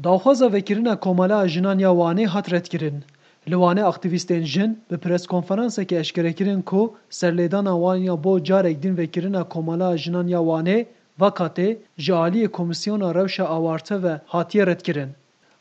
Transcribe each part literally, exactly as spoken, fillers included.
Daxwaza vekirina Komala a Jinan ya Wanê hat redkirin. Li Wanê aktîvîstên jin bi preskonferansekê eşkere kirin ku serlêdana wan ya bo carek din vekirina Komala a Jinan ya Wanê, Vakatê, ji aliyê Komîsyona Rewşa Awarte ve hatiye redkirin.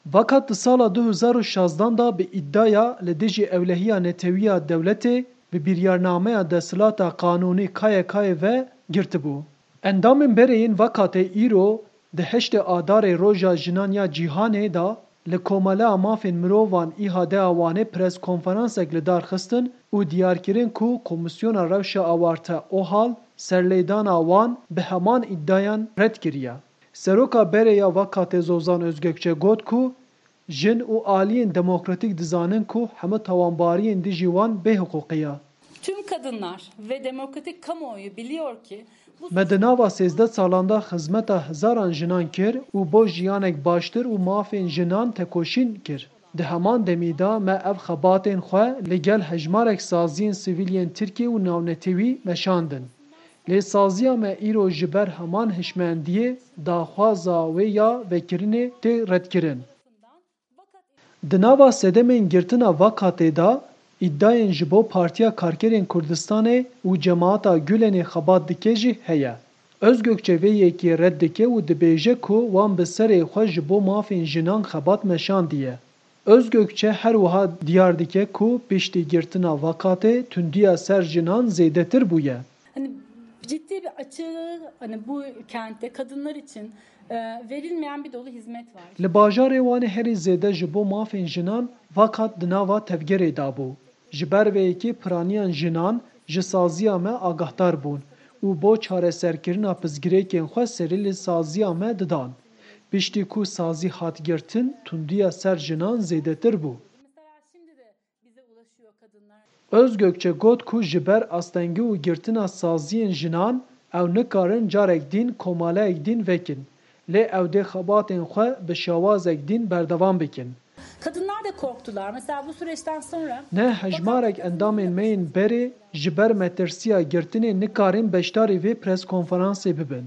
Vakat di sala du hezar û şazdan de bi îdiaya li dijî ewlehiya netewiya dewletê bi biryarnameya desthilata qanûnî K Y K'ê ve girtibû. Endamên berê yên Vakatê îro di heştê Adarê Roja Jinan ya Cîhanê de li Komeleya Mafên Mirovan, İHA'de a Wanê preskonferansek li dar xistin û diyar kirin ku Komîsyona Rewşa Awarte, OHAL, serlêdana wan bi heman îdiayan red kiriye. Seroka berê ya Vakatê Zozan Özgökçe got ku jin û aliyên demokratîk dizanin ku hemû tawanbariyên dijî wan bêhiqûqî ye. Tüm kadınlar ve demokratik kamuoyu biliyor ki bu Me di nava sêzdeh salan de xizmeta hezaran jinan kir û bo jiyanek baştir û mafên jinan tekoşîn kir. Di heman demî de me ev xebatên xwe li gel hejmarek saziyên sivîl yên Tirkiyê û navnetewî meşandin. Lê saziya me îro ji ber heman hişmendiyê daxwaza wê ya vekirinê tê redkirin. Di nava sedemên girtina Vakatê de îdiayên ji bo Partiya Karkerên Kurdistanê û Cemaeta Gulenê xebat dike jî heye. Özgökçe vê yekê red dike û dibêje ku wan bi serê xwe ji bo mafên jinan xebat meşandiye. Özgökçe her wiha diyar dike ku piştî girtina Vakatê tundiya ser jinan zêdetir bûye. Hani ciddi bir açığı hani bu kentte kadınlar için e, verilmeyen bir dolu hizmet var. Li bajarê Wanê herî zêde ji bo mafên jinan Vakat di nava tevgerê de bû. Ji ber vê yekê piraniyan jinan ji saziya me agahdar bûn û bo çareserkirina pirsgirêkên xwe serî li saziya me didan. Piştî ku sazî hat girtin, tundiya ser jinan zêdetir bû. Özgökçe got ku ji ber astengî û girtina saziyên jinan ew nikarin carek din komaleyek din vekin, lê ew dê xebatên xwe bi şewazek din berdewam bikin. Kadınlar da korktular. Mesela bu süreçten sonra Ne hejmarek endamên me yên berê ji ber metirsiya girtinê nikarin beşdarî vê preskonferansê bibin.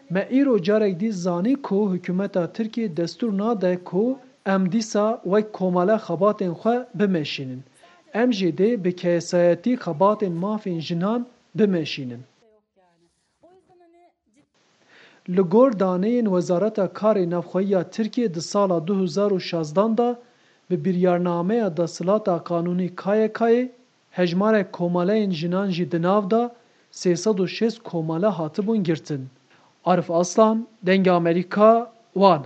Me îro carek dî zanî ku hikûmeta Tirkiyê destûr nade ku em dîsa wek komele xebatên xwe bimeşînin. Em jî dê bi kesayetî xebatên mafên jinan bimeşînin. Li gor daneyên Wezareta Karê Navxweyî ya Tirkiyê di sala du hezar û şazdan de bi biryarnameya desthilata qanûnî K Y K'ê hejmarek komeleyên jinan jî di nav de sê sed û şêst komele hatibûn girtin. Arif Aslan, Dengê Amerîka, Wan.